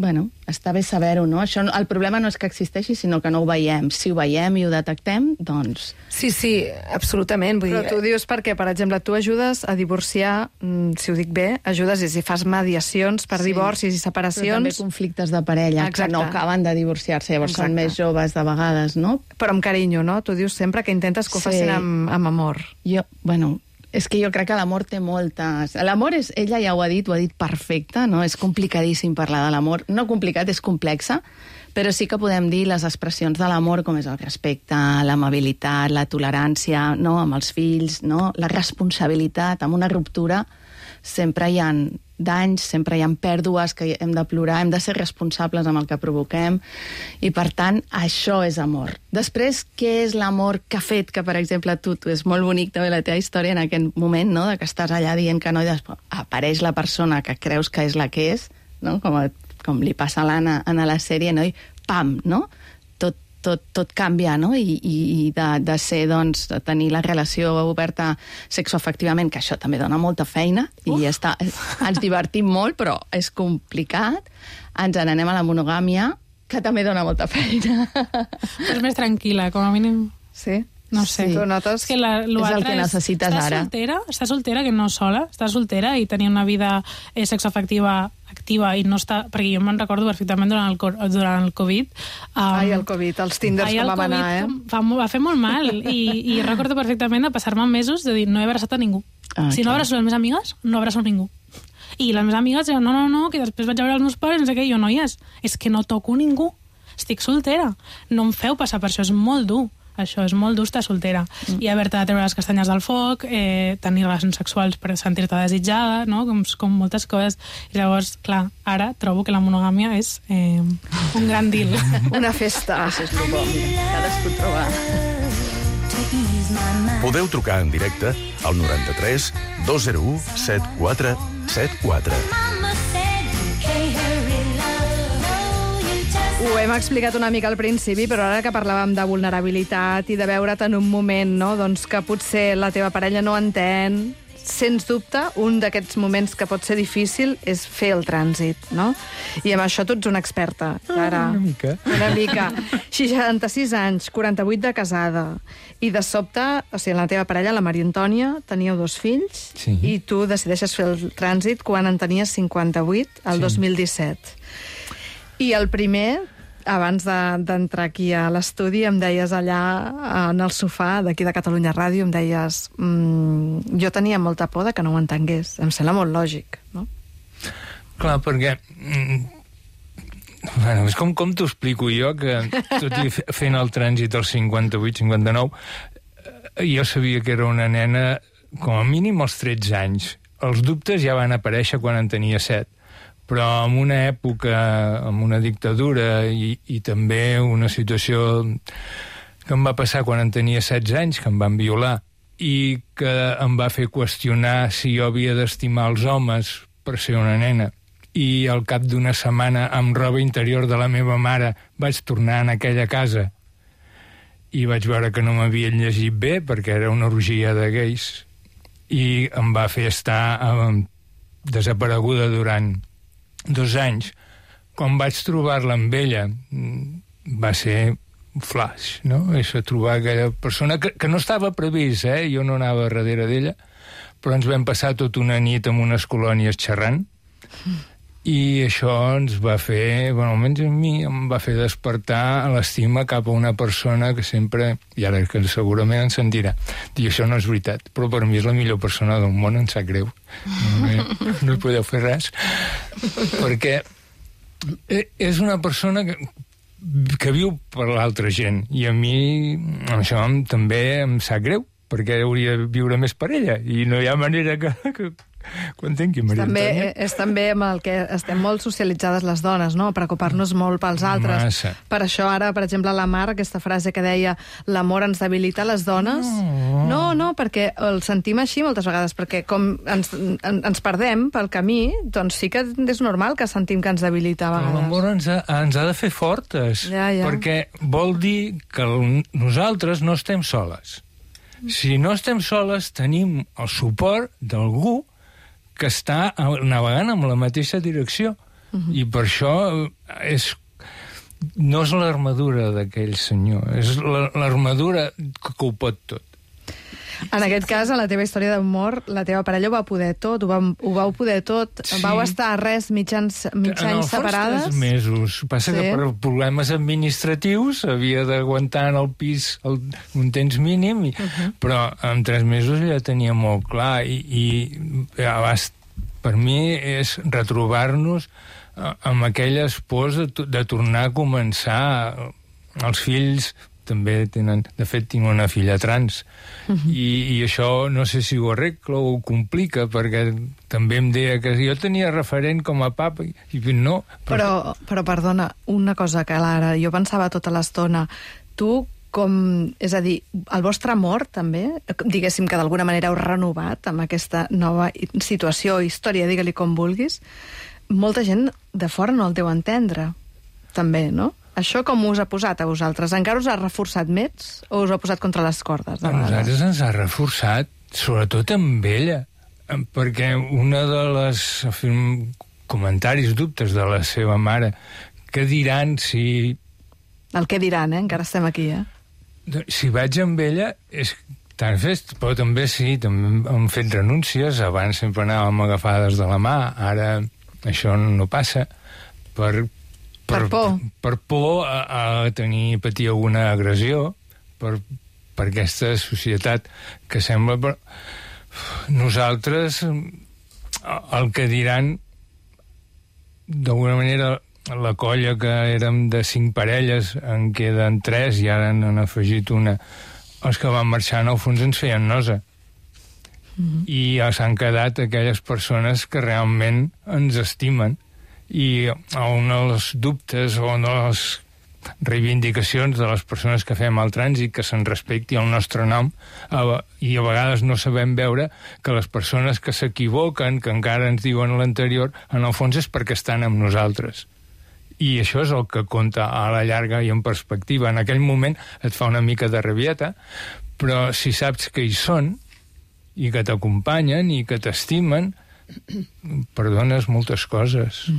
bueno, està bé saber-ho, no? Això, el problema no és que existeixi, sinó que no ho veiem. Si ho veiem i ho detectem, doncs... Sí, absolutament. Però tu dius perquè, per exemple, tu ajudes a divorciar, si ho dic bé, ajudes i fas mediacions per divorcis i separacions... Però també conflictes de parella, que no acaben de divorciar-se, llavors són més joves de vegades, no? Però amb carinyo, no? Tu dius sempre que intentes que ho facin amb amor. És que jo crec que l'amor té moltes... L'amor, ella ja ho ha dit perfecte, no? És complicadíssim parlar de l'amor. No complicat, és complexa, però sí que podem dir les expressions de l'amor, com és el respecte, l'amabilitat, la tolerància, no? Amb els fills, no? La responsabilitat. Amb una ruptura sempre hi ha danys, sempre hi ha pèrdues que hem de plorar, hem de ser responsables amb el que provoquem, i per tant, això és amor. Després, què és l'amor que ha fet que, per exemple, tu és molt bonic també la teva història en aquest moment, no?, de que estàs allà dient que no, i després apareix la persona que creus que és la que és, no?, com li passa a l'Anna a la sèrie, no?, i pam, no?, tot canvia, no? I de ser, doncs, de tenir la relació oberta sexoafectivament, que això també dona molta feina, i ens divertim molt, però és complicat. Ens n'anem a la monogàmia, que també dona molta feina. És més tranquil·la, com a mínim. Sí? No sé. Sí. Tu notes? És el que necessites ara. Estàs soltera, que no sola, estàs soltera i tenir una vida sexoafectiva activa i no està... Perquè jo me'n recordo perfectament durant el Covid. El Covid, els Tinders com vam anar, Va fer molt mal. I recordo perfectament de passar-me mesos de dir no he abraçat a ningú. Si no abraço les meves amigues, no abraço a ningú. I les meves amigues diuen no, que després vaig a veure els meus pares, no sé què, i jo, noies, és que no toco ningú. Estic soltera. No em feu passar per això, és molt dur. Això és molt dur estar soltera. I haver-te de treure les castanyes del foc, tenir relacions sexuals per sentir-te desitjada, no? Com moltes coses. I llavors, clar, ara trobo que la monogàmia és un gran deal. Una festa. Cadascú troba. Podeu trucar en directe al 93 201 7474. Ho hem explicat una mica al principi, però ara que parlàvem de vulnerabilitat i de veure't en un moment, no?, doncs que potser la teva parella no entén, sens dubte, un d'aquests moments que pot ser difícil és fer el trànsit, no? I amb això tu ets una experta, Clara. Una mica. Una mica. 66 anys, 48 de casada, i de sobte, o sigui, la teva parella, la Maria Antònia, teníeu 2 fills, sí, i tu decideixes fer el trànsit quan en tenies 58, el 2017. I el primer, abans d'entrar aquí a l'estudi, em deies allà en el sofà d'aquí de Catalunya Ràdio, em deies jo tenia molta por de que no ho entengués. Em sembla molt lògic, no? Clar, perquè... Bueno, és com t'ho explico jo, que tot i fent el trànsit als 58-59, jo sabia que era una nena, com a mínim als 13 anys. Els dubtes ja van aparèixer quan en tenia 7. Però en una època, amb una dictadura i també una situació que em va passar quan en tenia 16 anys, que em van violar, i que em va fer qüestionar si jo havia d'estimar els homes per ser una nena. I al cap d'una setmana, amb roba interior de la meva mare, vaig tornar en aquella casa i vaig veure que no m'havien llegit bé, perquè era una orgia de gais, i em va fer estar desapareguda durant 2 anys. Quan vaig trobar-la amb ella, va ser un flash, no? És a trobar aquella persona que no estava previst, jo no anava darrere d'ella, però ens vam passar tota una nit en unes colònies xerrant, i això ens va fer, bueno, almenys a mi, em va fer despertar l'estima cap a una persona que sempre, i ara que segurament em sentirà, dir, això no és veritat, però per mi és la millor persona del món, em sap greu. No hi podeu fer res. Perquè és una persona que viu per l'altra gent, i a mi això també em sap greu, perquè hauria de viure més per ella, i no hi ha manera que quan tingui Maria Antònia. És també amb el que estem molt socialitzades les dones, no? Preocupar-nos molt pels altres. Massa. Per això ara, per exemple, la Mar, aquesta frase que deia l'amor ens debilita les dones... No, perquè el sentim així moltes vegades, perquè com ens perdem pel camí, doncs sí que és normal que sentim que ens debilita a vegades. L'amor ens ha de fer fortes, Ja. perquè vol dir que nosaltres no estem soles. Si no estem soles, tenim el suport d'algú que està navegant en la mateixa direcció. I per això no és l'armadura d'aquell senyor, és l'armadura que ho pot tot. En aquest cas, en la teva història d'amor, la teva parella ho va poder tot, ho vau poder tot. Sí. Vau estar mig anys separades. En el fons 3 mesos. Passa que per problemes administratius havia d'aguantar en el pis un temps mínim, però en 3 mesos ja tenia molt clar i per mi és retrobar-nos amb aquelles pors de tornar a començar. Els fills també tenen... De fet, tinc una filla trans. I això no sé si ho arregla o ho complica, perquè també em deia que jo tenia referent com a papa i no. Però perdona, una cosa que Lara, jo pensava tota l'estona, tu és a dir, el vostre amor també, diguéssim que d'alguna manera heu renovat amb aquesta nova situació o història, digue-li com vulguis, molta gent de fora no el deu entendre, també, no? Això com us ha posat a vosaltres? Encara us ha reforçat més o us ha posat contra les cordes? A nosaltres ens ha reforçat, sobretot amb ella, perquè una de les comentaris, dubtes de la seva mare, que diran si... El que diran, encara estem aquí, Si vaig amb ella, és tan fest, però també sí, també hem fet renúncies, abans sempre anàvem agafades de la mà, ara això no passa, per por. Per por a patir alguna agressió, per aquesta societat que sembla... Però nosaltres, el que diran, d'alguna manera, la colla que érem de 5 parelles, en queden 3 i ara n'han afegit una. Els que van marxar, en el fons, ens feien nosa. I s'han quedat aquelles persones que realment ens estimen. I un dels dubtes o una de les reivindicacions de les persones que fem el trànsit, que se'n respecti el nostre nom, i a vegades no sabem veure que les persones que s'equivoquen, que encara ens diuen l'anterior, en el fons és perquè estan amb nosaltres. I això és el que compta a la llarga i en perspectiva. En aquell moment et fa una mica de rabieta, però si saps que hi són i que t'acompanyen i que t'estimen, perdones moltes coses.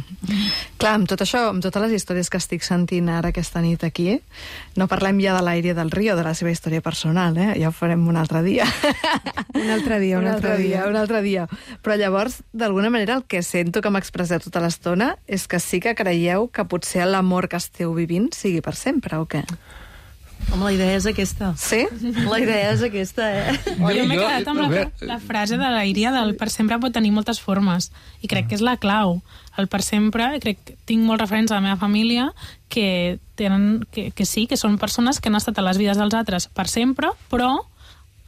Clar, amb tot això, amb totes les històries que estic sentint ara aquesta nit aquí, no parlem ja de l'Aire del Río, de la seva història personal, ja ho farem un altre dia. Un altre dia. Però llavors, d'alguna manera, el que sento que m'expresseu tota l'estona és que sí que creieu que potser l'amor que esteu vivint sigui per sempre, o què? Home, la idea és aquesta. Sí? La idea és aquesta, Jo m'he quedat amb la frase de la Iria del per sempre pot tenir moltes formes, i crec que és la clau. El per sempre, crec que tinc molts referents a la meva família que tenen, que sí, que són persones que han estat a les vides dels altres per sempre, però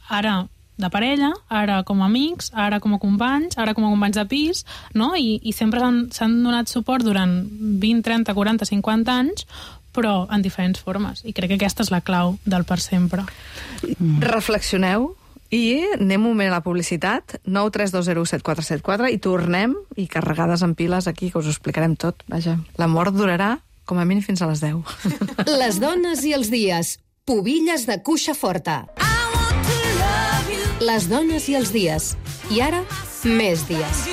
ara de parella, ara com a amics, ara com a companys, ara com a companys de pis, no? I sempre s'han donat suport durant 20, 30, 40, 50 anys, però en diferents formes. I crec que aquesta és la clau del per sempre. Reflexioneu i anem un moment a la publicitat, 932017474, i tornem, i carregades en piles aquí, que us ho explicarem tot. Vaja, l'amor durarà com a mínim fins a les 10. Les dones i els dies. Pubilles de cuixa forta. Les dones i els dies. I ara, més dies.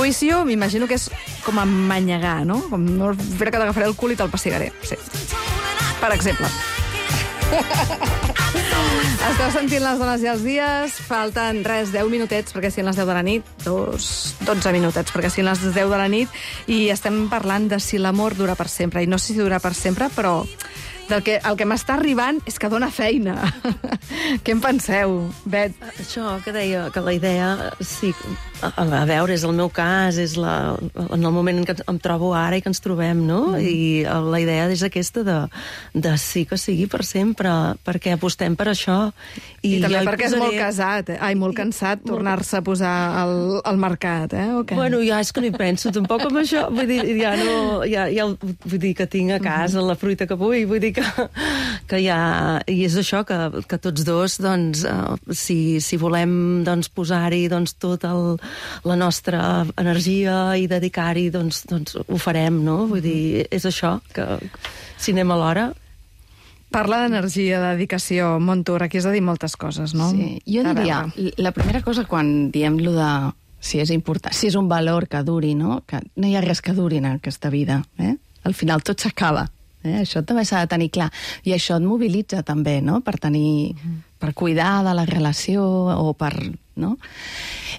Juicio, m'imagino que és com a manyegar, no? Com no fer que t'agafaré el cul i te'l passigaré. Sí. Per exemple. Esteu sentint les dones i els dies, falten 10 minutets, perquè siguin les 10 de la nit, 12 minutets, perquè siguin les 10 de la nit, i estem parlant de si l'amor dura per sempre, i no sé si dura per sempre, però el que m'està arribant és que dona feina. Què en penseu, Bet? Això que deia, que la idea, sí, a veure, és el meu cas, és en el moment en què em trobo ara i que ens trobem, no? I la idea és aquesta de sí que sigui per sempre, perquè apostem per això. I també perquè és molt casat, molt cansat tornar-se a posar al mercat, Okay? Bueno, ja és que no hi penso tampoc amb això, vull dir, vull dir que tinc a casa la fruita que vull, vull dir que ja... I és això, que tots dos, doncs, si volem doncs, posar-hi doncs, tota la nostra energia i dedicar-hi, doncs ho farem, no? Vull dir, és això, que si anem a l'hora... Parla d'energia, de dedicació, Montour, aquí has de dir moltes coses, no? Sí, jo diria, la primera cosa quan diem lo de si és important, si és un valor que duri, no? Que no hi ha res que duri en aquesta vida, Al final tot s'acaba, Això també s'ha de tenir clar. I això et mobilitza també, no? Per cuidar de la relació o per... No?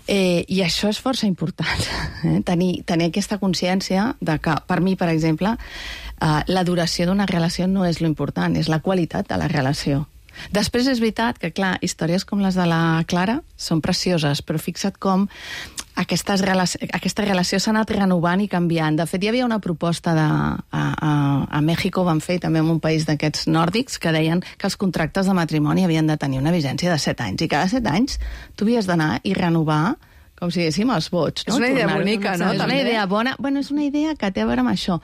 I això és força important, tenir aquesta consciència de que, per mi, per exemple, la duració d'una relació no és lo important, és la qualitat de la relació. Després és veritat que, clar, històries com les de la Clara són precioses, però fixa't com aquesta relació s'ha anat renovant i canviant. De fet, hi havia una proposta a Mèxic, van fer també en un país d'aquests nòrdics, que deien que els contractes de matrimoni havien de tenir una vigència de 7 anys, i cada 7 anys tu havies d'anar i renovar com si diguéssim els vots. És una idea bonica, no? És una idea bona. Bueno, és una idea que té a veure amb això,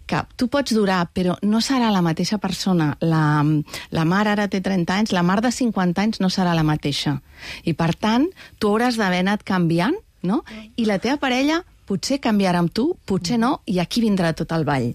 que tu pots durar, però no serà la mateixa persona. La Mar ara té 30 anys, la Mar de 50 anys no serà la mateixa. I, per tant, tu hauràs d'haver anat canviant, no? I la teva parella potser canviarà amb tu, potser no, i aquí vindrà tot el ball.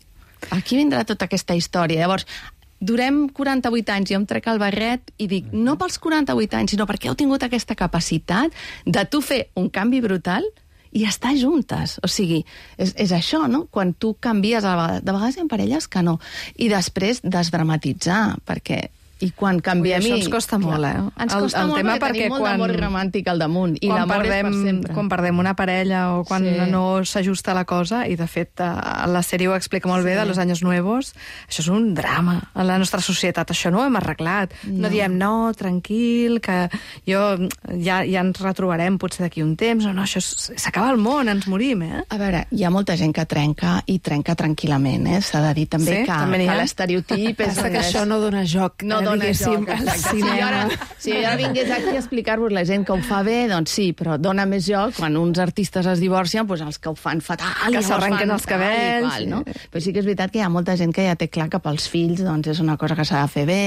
Aquí vindrà tota aquesta història. Llavors, durem 48 anys, jo em trec el barret i dic, no pels 48 anys, sinó perquè heu tingut aquesta capacitat de tu fer un canvi brutal i estar juntes. O sigui, és això, no? Quan tu canvies, de vegades hi ha parelles que no. I després desdramatitzar, perquè... I quan canviem... Això ens costa molt, Ens costa molt perquè tenim molt d'amor romàntic al damunt. I l'amor és per sempre. Quan perdem una parella o quan no s'ajusta la cosa, i de fet la sèrie ho explica molt bé, de Los Años Nuevos, això és un drama. En la nostra societat això no ho hem arreglat. No diem, no, tranquil, que ja ens retrobarem potser d'aquí un temps. No, això s'acaba el món, ens morim, A veure, hi ha molta gent que trenca i trenca tranquil·lament, S'ha de dir també que l'estereotip és... Passa que això no dona joc. No dona joc, si jo ara vingués aquí a explicar-vos la gent que ho fa bé, doncs sí, però dona més joc quan uns artistes es divorcien, doncs els que ho fan fatal, que s'arrenquen els cabells, no? Però sí que és veritat que hi ha molta gent que ja té clar que pels fills doncs és una cosa que s'ha de fer bé,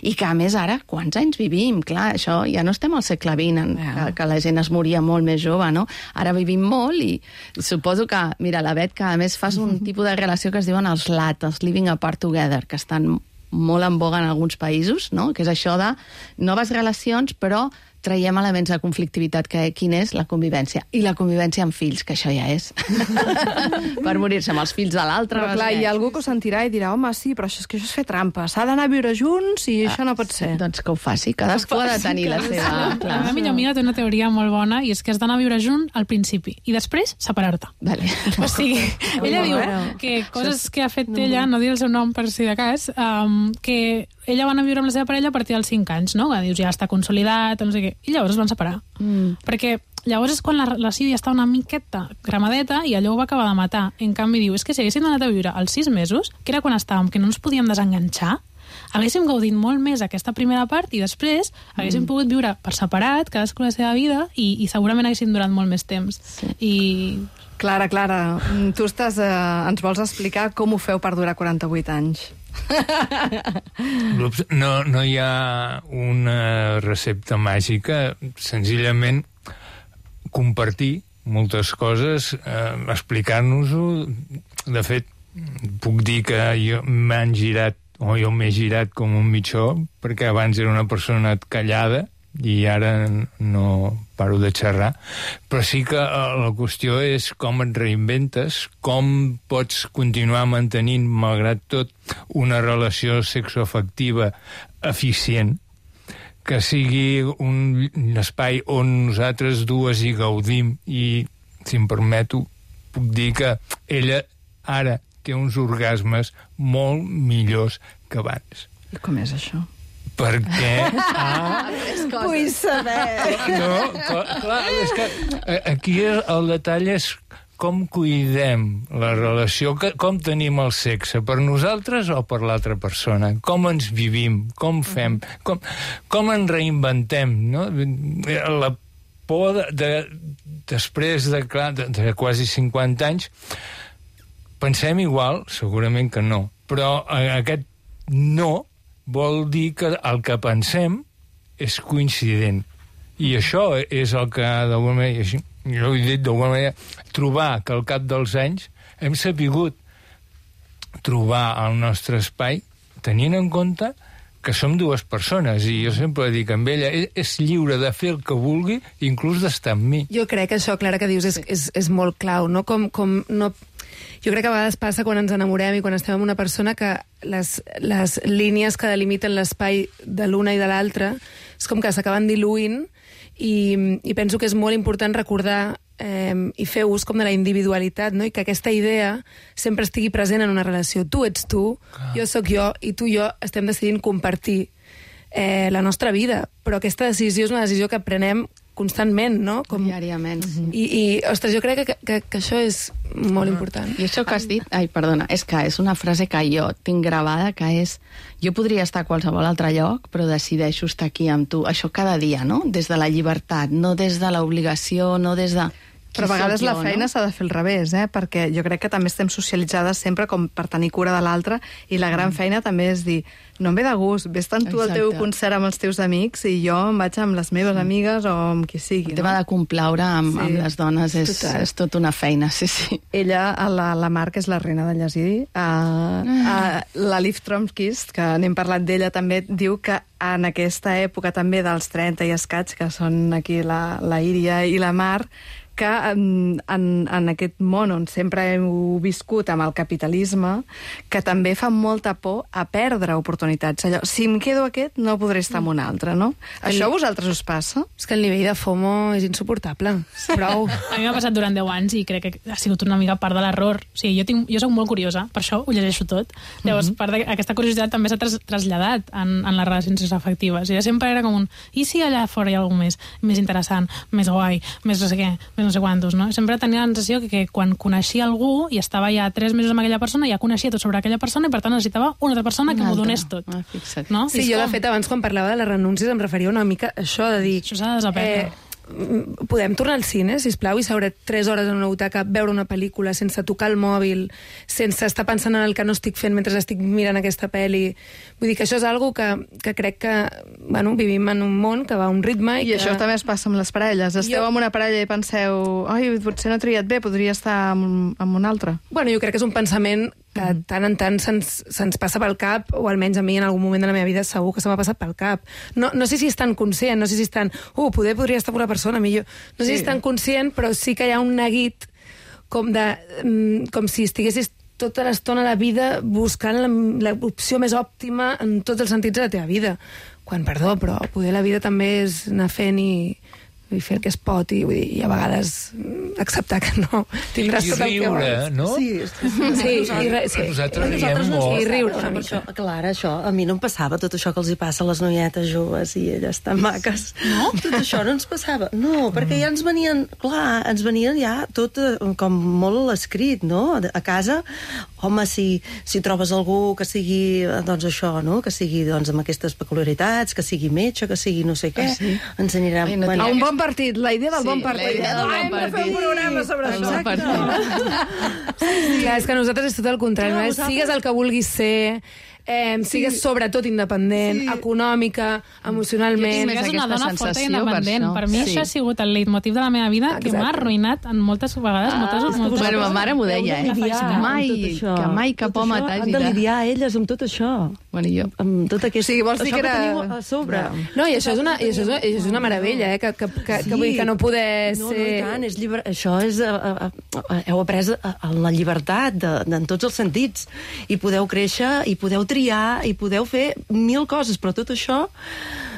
i que a més ara, quants anys vivim? Clar, això ja no estem al segle XX, que la gent es moria molt més jove, no? Ara vivim molt i suposo que, mira, la Bet, que a més fas un tipus de relació que es diuen els LAT, els Living Apart Together, que estan molt en boga en alguns països, no? Que és això de noves relacions, però traiem elements de conflictivitat, que quin és la convivència. I la convivència amb fills, que això ja és. Per morir-se amb els fills de l'altre. Però clar, hi ha algú que ho sentirà i dirà, home, sí, però això és fer trampa. S'ha d'anar a viure junts i això no pot ser. Doncs que ho faci. Cadascú ha de tenir la seva... La meva millor amiga té una teoria molt bona, i és que has d'anar a viure junt al principi i després separar-te. Vale. O sigui, ella diu que coses que ha fet ella, no dir el seu nom per si de cas, que ella va anar a viure amb la seva parella a partir dels 5 anys, no? Que dius, ja està consolidat, no sé què. I llavors es van separar. Perquè llavors és quan la relació ja està una miqueta gramadeta i allò ho va acabar de matar. En canvi, diu, és que si haguéssim anat a viure als 6 mesos, que era quan estàvem, que no ens podíem desenganxar, haguéssim gaudit molt més aquesta primera part i després haguéssim pogut viure per separat, cadascú la seva vida, i segurament haguéssim durat molt més temps. I... Clara, tu ens vols explicar com ho feu per durar 48 anys? No hi ha una recepta màgica, senzillament compartir moltes coses, explicar-nos-ho. De fet, puc dir que jo m'he girat com un mitjó, perquè abans era una persona callada i ara no paro de xerrar, però sí que la qüestió és com et reinventes, com pots continuar mantenint, malgrat tot, una relació sexoafectiva eficient, que sigui un espai on nosaltres dues hi gaudim, i, si em permeto, puc dir que ella ara té uns orgasmes molt millors que abans. I com és això? Perquè... Vull saber. No, clar, és que aquí el detall és com cuidem la relació, com tenim el sexe, per nosaltres o per l'altra persona, com ens vivim, com fem, com ens reinventem, no? La por després de quasi 50 anys, pensem igual? Segurament que no, però aquest no vol dir que el que pensem és coincident. I això és el que, d'alguna manera, jo ho he dit d'alguna manera, trobar que al cap dels anys hem sapigut trobar el nostre espai tenint en compte que som dues persones, i jo sempre dic amb ella, és lliure de fer el que vulgui, inclús d'estar amb mi. Jo crec que això, Clara, que dius és molt clau, no? Jo crec que a vegades passa quan ens enamorem i quan estem amb una persona que les línies que delimiten l'espai de l'una i de l'altra és com que s'acaben diluint, i penso que és molt important recordar i fer ús com de la individualitat, no? I que aquesta idea sempre estigui present en una relació. Tu ets tu, jo sóc jo, i tu i jo estem decidint compartir la nostra vida, però aquesta decisió és una decisió que prenem constantment, no? Diàriament. I ostres, jo crec que això és molt important. I això que has dit, perdona, és que és una frase que jo tinc gravada, que és: jo podria estar a qualsevol altre lloc, però decideixo estar aquí amb tu. Això cada dia, no? Des de la llibertat, no des de l'obligació, no des de... Però a vegades la feina s'ha de fer al revés, perquè jo crec que també estem socialitzades sempre com per tenir cura de l'altre, i la gran feina també és dir, no em ve de gust, vés-te'n tu al teu concert amb els teus amics i jo em vaig amb les meves amigues o amb qui sigui. El tema de complaure amb les dones és tot una feina, sí. Ella, la Mar, que és la reina de llegir, la Liv Tromkist, que n'hem parlat d'ella també, diu que en aquesta època també dels 30 i escaig, que són aquí la Íria i la Mar, que en aquest món on sempre hem viscut amb el capitalisme, que també fa molta por a perdre oportunitats. Allò, si em quedo aquest, no podré estar amb un altre, no? Això a vosaltres us passa? És que el nivell de FOMO és insuportable. Prou. A mi m'ha passat durant 10 anys i crec que ha sigut una mica part de l'error. O sigui, jo soc molt curiosa, per això ho llegeixo tot. Llavors, part d'aquesta curiositat també s'ha traslladat en les relacions afectives. I sempre era com i si allà fora hi ha alguna més interessant, més guai, més no sé què, no sé quantos, no? Sempre tenia la sensació que quan coneixia algú i estava ja 3 mesos amb aquella persona, ja coneixia tot sobre aquella persona i per tant necessitava una altra persona que m'ho donés tot. No? Sí, jo de fet abans quan parlava de les renúncies em referia una mica a això de dir... Això s'ha de desaprendre. Podem tornar al cine, sisplau, i seure 3 hores en una butaca, veure una pel·lícula sense tocar el mòbil, sense estar pensant en el que no estic fent mentre estic mirant aquesta pel·li. Vull dir que això és algo que crec que vivim en un món que va a un ritme i això també es passa amb les parelles. Esteu amb una parella i penseu potser no he triat bé, podria estar amb un altre. Bueno, jo crec que és un pensament que tant en tant se'ns passa pel cap, o almenys a mi en algun moment de la meva vida segur que se m'ha passat pel cap. No sé si és tan conscient, no sé si és tan... podria estar amb una persona millor. No sé si és tan conscient, però sí que hi ha un neguit com si estiguessis tota l'estona a la vida buscant l'opció més òptima en tots els sentits de la teva vida. Quan, perdó, però poder la vida també és anar fent i fer el que es pot i a vegades acceptar que no tindràs tot el que vols. I riure, no? Sí. Nosaltres riem molt. I riure una mica. Clar, això, a mi no em passava tot això que els hi passa a les noietes joves i elles tan maques. No? Tot això no ens passava. No, perquè ja ens venien ja tot com molt escrit, no? A casa, home, si trobes algú que sigui, doncs això, no? Que sigui amb aquestes peculiaritats, que sigui metge, que sigui no sé què, ens anirem... A un bon partit, la idea del bon partit. Hem de fer un programa sobre això. Clar, és que nosaltres és tot el contrari. Sigues el que vulguis ser, sigues sobretot independent, econòmica, emocionalment. És una dona forta i independent. Per mi això ha sigut el leitmotiv de la meva vida que m'ha arruïnat en moltes vegades. Bueno, ma mare m'ho deia, que mai cap home t'hagi de lidiar elles amb tot això. Bueno, jo. Amb tot aquest... Sí, vols dir que era... a sobre. No, i això és una meravella, que vull dir que no poder ser... No, i tant, és llibre... Això és... Heu après la llibertat en tots els sentits. I podeu créixer, i podeu triar, i podeu fer 1000 coses, però tot això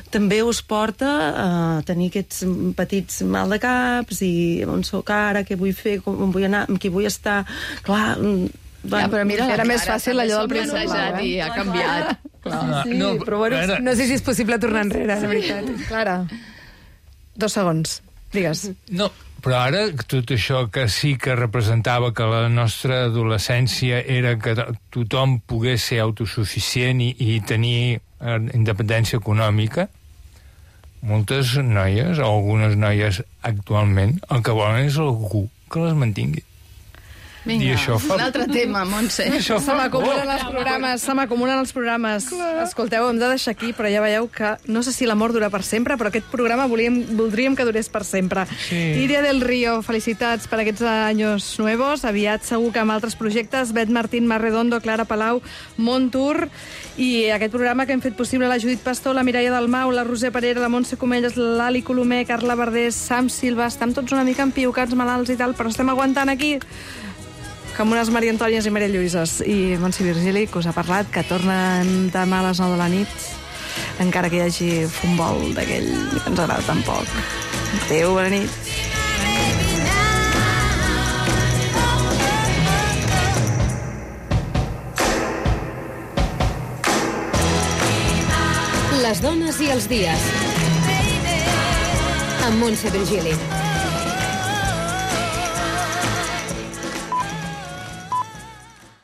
també us porta a tenir aquests petits mal de caps i on soc ara, què vull fer, on vull anar, amb qui vull estar... Clar... Però mira, era més fàcil allò del principi. I ha canviat. clar. Sí, però bueno, no sé si és possible tornar enrere, de veritat. Clara, 2 segons, digues. No, però ara tot això que sí que representava que la nostra adolescència era que tothom pogués ser autosuficient i tenir independència econòmica, moltes noies, o algunes noies actualment, el que volen és algú que les mantingui. Vinga, I això fa... un altre tema, Montse. Això Se m'acumulen els programes. Escolteu, hem de deixar aquí, però ja veieu que no sé si l'amor dura per sempre, però aquest programa voldríem que durés per sempre. Sí. Iria del Río, felicitats per aquests anys nuevos. Aviat segur que amb altres projectes, Bet Martín, Mar Redondo, Clara Palau, Montour, i aquest programa que hem fet possible la Judit Pastor, la Mireia Dalmau, la Roser Parera, la Montse Comelles, l'Ali Colomer, Carla Verdés, Sam Silva. Estem tots una mica empiucats, malalts i tal, però estem aguantant aquí com unes Maria Antònies i Maria Lluïses. I Montse Virgili, que us ha parlat, que tornen demà a les 9 de la nit, encara que hi hagi futbol d'aquell que ens agrada tan poc. Adéu, bona nit. Les dones i els dies. Amb Montse Virgili.